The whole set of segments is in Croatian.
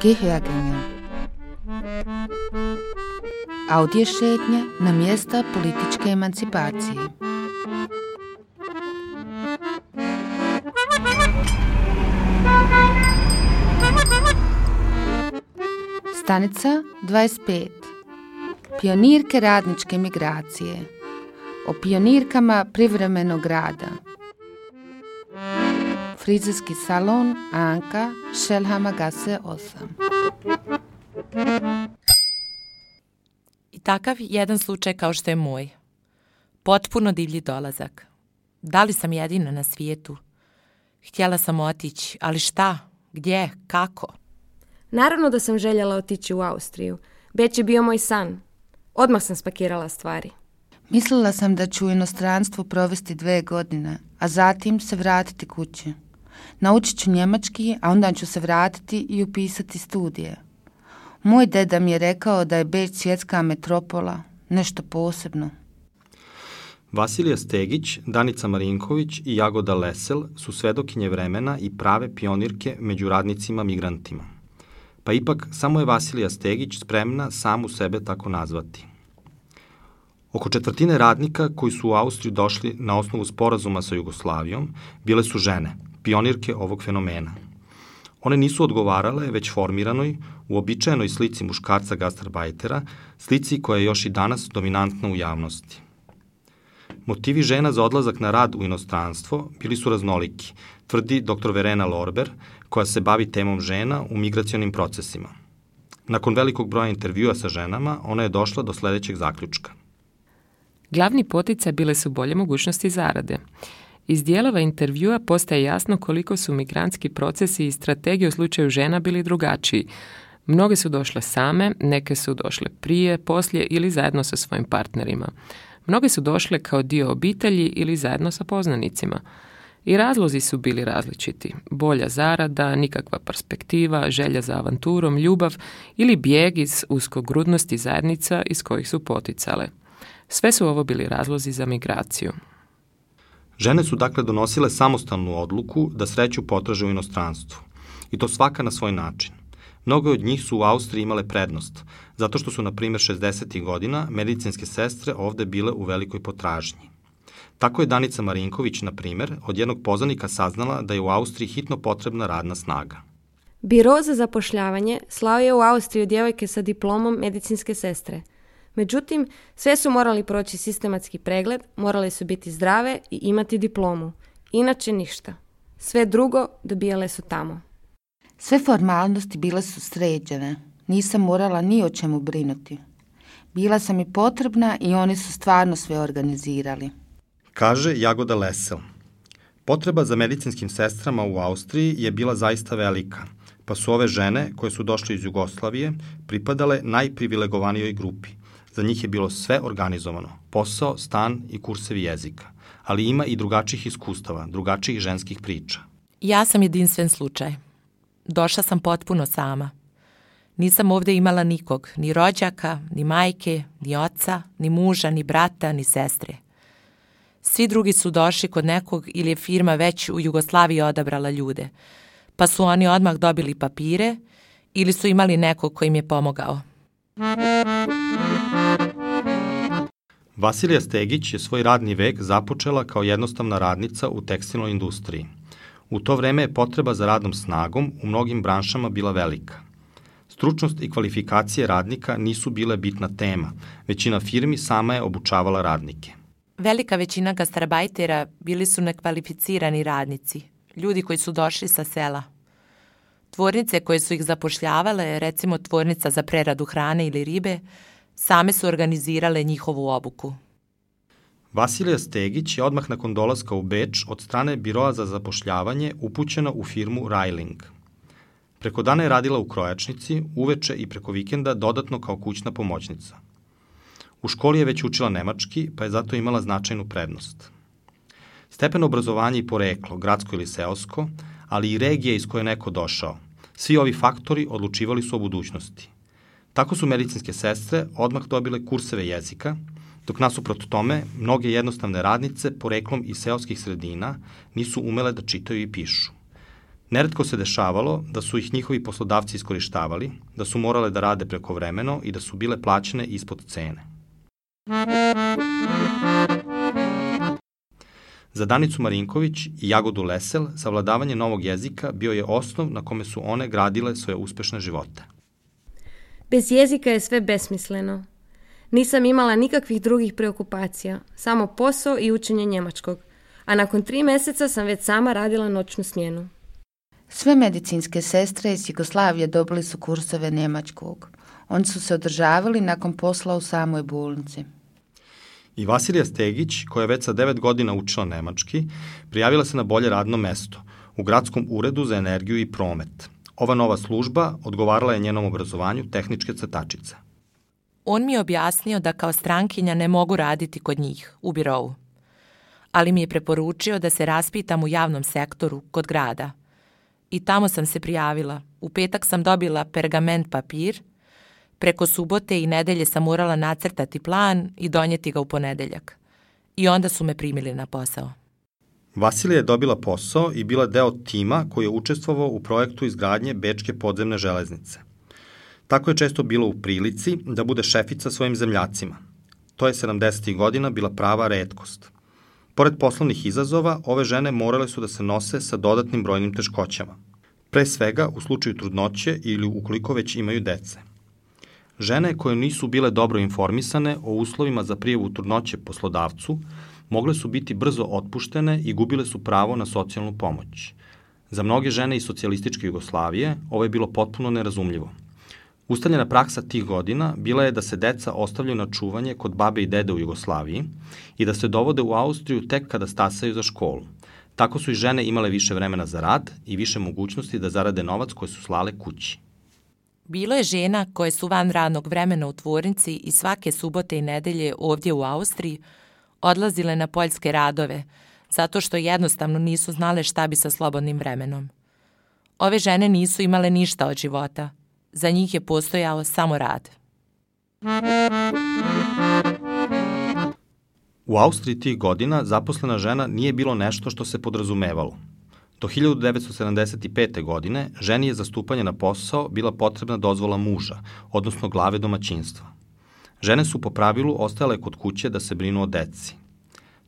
Gehörgänge. Audiošetnje na mjesta političke emancipacije. Stanica 25. Pionirke radničke migracije. O pionirkama privremenog rada. Frizerski salon Anka, Šelhamagasse 8. I takav jedan slučaj kao što je moj. Potpuno divlji dolazak. Da li sam jedina na svijetu? Htjela sam otići, ali šta? Gdje? Kako? Naravno da sam željela otići u Austriju. Beč je bio moj san. Odmah sam spakirala stvari. Mislila sam da ću u inostranstvu provesti 2 godine, a zatim se vratiti kući. Naučit ću njemački, a onda ću se vratiti i upisati studije. Moj deda mi je rekao da je Beč svjetska metropola, nešto posebno. Vasilija Stegić, Danica Marinković i Jagoda Lesel su svedokinje vremena i prave pionirke među radnicima migrantima. Pa ipak samo je Vasilija Stegić spremna samu sebe tako nazvati. Oko 1/4 radnika koji su u Austriju došli na osnovu sporazuma sa Jugoslavijom bile su žene, pionirke ovog fenomena. One nisu odgovarale već formiranoj, uobičajenoj slici muškarca gastarbajtera, slici koja je još i danas dominantna u javnosti. Motivi žena za odlazak na rad u inostranstvo bili su raznoliki, tvrdi dr. Verena Lorber, koja se bavi temom žena u migracionim procesima. Nakon velikog broja intervjua sa ženama, ona je došla do sljedećeg zaključka. Glavni poticaj bile su bolje mogućnosti zarade. Iz dijelova intervjua postaje jasno koliko su migrantski procesi i strategije u slučaju žena bili drugačiji. Mnoge su došle same, neke su došle prije, poslije ili zajedno sa svojim partnerima. Mnoge su došle kao dio obitelji ili zajedno sa poznanicima. I razlozi su bili različiti. Bolja zarada, nikakva perspektiva, želja za avanturom, ljubav ili bijeg iz uskogrudnosti zajednica iz kojih su poticale. Sve su ovo bili razlozi za migraciju. Žene su dakle donosile samostalnu odluku da sreću potraže u inostranstvu. I to svaka na svoj način. Mnoge od njih su u Austriji imale prednost, zato što su, na primjer, 60. godina medicinske sestre ovde bile u velikoj potražnji. Tako je Danica Marinković, na primjer, od jednog poznanika saznala da je u Austriji hitno potrebna radna snaga. Biro za zapošljavanje slao je u Austriju djevojke sa diplomom medicinske sestre. Međutim, sve su morali proći sistematski pregled, morale su biti zdrave i imati diplomu. Inače ništa. Sve drugo dobijale su tamo. Sve formalnosti bile su sređene. Nisam morala ni o čemu brinuti. Bila sam i potrebna i oni su stvarno sve organizirali. Kaže Jagoda Lesel. Potreba za medicinskim sestrama u Austriji je bila zaista velika, pa su ove žene koje su došle iz Jugoslavije pripadale najprivilegovanijoj grupi. Za njih je bilo sve organizovano, posao, stan i kursevi jezika, ali ima i drugačijih iskustava, drugačijih ženskih priča. Ja sam jedinstven slučaj. Došla sam potpuno sama. Nisam ovdje imala nikog, ni rođaka, ni majke, ni oca, ni muža, ni brata, ni sestre. Svi drugi su došli kod nekog ili je firma već u Jugoslaviji odabrala ljude, pa su oni odmah dobili papire ili su imali nekog koji im je pomogao. Vasilija Stegić je svoj radni vek započela kao jednostavna radnica u tekstilnoj industriji. U to vreme je potreba za radnom snagom u mnogim branšama bila velika. Stručnost i kvalifikacije radnika nisu bile bitna tema. Većina firmi sama je obučavala radnike. Velika većina gastarbajtera bili su nekvalificirani radnici, ljudi koji su došli sa sela. Tvornice koje su ih zapošljavale, recimo tvornica za preradu hrane ili ribe, same su organizirale njihovu obuku. Vasilija Stegić je odmah nakon dolaska u Beč od strane Biroa za zapošljavanje upućena u firmu Railing. Preko dana je radila u krojačnici, uveče i preko vikenda dodatno kao kućna pomoćnica. U školi je već učila nemački, pa je zato imala značajnu prednost. Stepen obrazovanja i poreklo, gradsko ili seosko, ali i regije iz koje je neko došao, svi ovi faktori odlučivali su o budućnosti. Tako su medicinske sestre odmah dobile kurseve jezika Dok nasuprot tome, mnoge jednostavne radnice, poreklom iz seoskih sredina, nisu umele da čitaju i pišu. Neretko se dešavalo da su ih njihovi poslodavci iskorištavali, da su morale da rade prekovremeno i da su bile plaćene ispod cene. Za Danicu Marinković i Jagodu Lesel savladavanje novog jezika bio je osnov na kome su one gradile svoje uspešne živote. Bez jezika je sve besmisleno. Nisam imala nikakvih drugih preokupacija, samo posao i učenje njemačkog, a nakon 3 meseca sam već sama radila noćnu smjenu. Sve medicinske sestre iz Jugoslavije dobili su kursove njemačkog. Oni su se održavali nakon posla u samoj bolnici. I Vasilija Stegić, koja je već sa 9 godina učila nemački, prijavila se na bolje radno mesto u Gradskom uredu za energiju i promet. Ova nova služba odgovarala je njenom obrazovanju tehničke crtačice. On mi je objasnio da kao strankinja ne mogu raditi kod njih, u birovu. Ali mi je preporučio da se raspitam u javnom sektoru, kod grada. I tamo sam se prijavila. U petak sam dobila pergament papir. Preko subote i nedelje sam morala nacrtati plan i donijeti ga u ponedeljak. I onda su me primili na posao. Vasilija je dobila posao i bila deo tima koji je učestvovao u projektu izgradnje Bečke podzemne železnice. Tako je često bilo u prilici da bude šefica svojim zemljacima. To je 70. godina bila prava retkost. Pored poslovnih izazova, ove žene morale su da se nose sa dodatnim brojnim teškoćama. Pre svega u slučaju trudnoće ili ukoliko već imaju dece. Žene koje nisu bile dobro informisane o uslovima za prijavu trudnoće poslodavcu, mogle su biti brzo otpuštene i gubile su pravo na socijalnu pomoć. Za mnoge žene iz socijalističke Jugoslavije ovo je bilo potpuno nerazumljivo. Ustaljena praksa tih godina bila je da se deca ostavljaju na čuvanje kod babe i dede u Jugoslaviji i da se dovode u Austriju tek kada stasaju za školu. Tako su i žene imale više vremena za rad i više mogućnosti da zarade novac koje su slale kući. Bilo je žena koje su van radnog vremena u tvornici i svake subote i nedelje ovdje u Austriji odlazile na poljske radove, zato što jednostavno nisu znale šta bi sa slobodnim vremenom. Ove žene nisu imale ništa od života. Za njih je postojao samo rad. U Austriji tih godina zaposlena žena nije bilo nešto što se podrazumevalo. Do 1975. godine ženi je za stupanje na posao bila potrebna dozvola muža, odnosno glave domaćinstva. Žene su po pravilu ostajale kod kuće da se brinu o deci.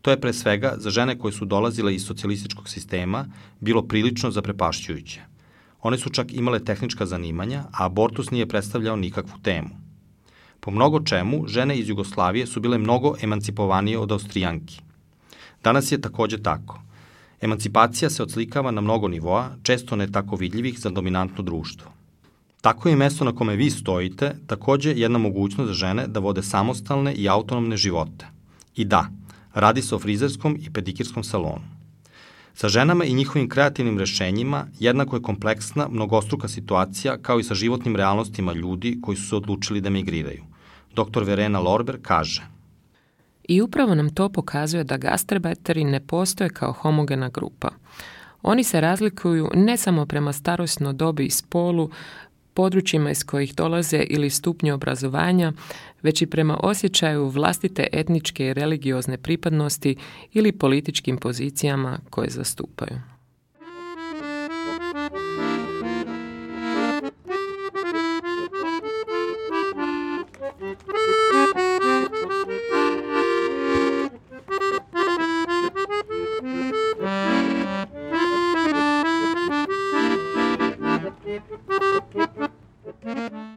To je pre svega za žene koje su dolazile iz socijalističkog sistema bilo prilično zaprepašćujuće. One su čak imale tehnička zanimanja, a abortus nije predstavljao nikakvu temu. Po mnogo čemu, žene iz Jugoslavije su bile mnogo emancipovanije od Austrijanki. Danas je takođe tako. Emancipacija se odslikava na mnogo nivoa, često ne tako vidljivih za dominantno društvo. Tako je mesto na kome vi stojite takođe jedna mogućnost za žene da vode samostalne i autonomne živote. I da, radi se o frizerskom i pedikirskom salonu. Sa ženama i njihovim kreativnim rešenjima jednako je kompleksna, mnogostruka situacija kao i sa životnim realnostima ljudi koji su se odlučili da migriraju. Dr. Verena Lorber kaže: I upravo nam to pokazuje da gastarbajteri ne postoje kao homogena grupa. Oni se razlikuju ne samo prema starosnoj dobi i spolu, područjima iz kojih dolaze ili stupnju obrazovanja, već i prema osjećaju vlastite etničke i religiozne pripadnosti ili političkim pozicijama koje zastupaju. Thank you.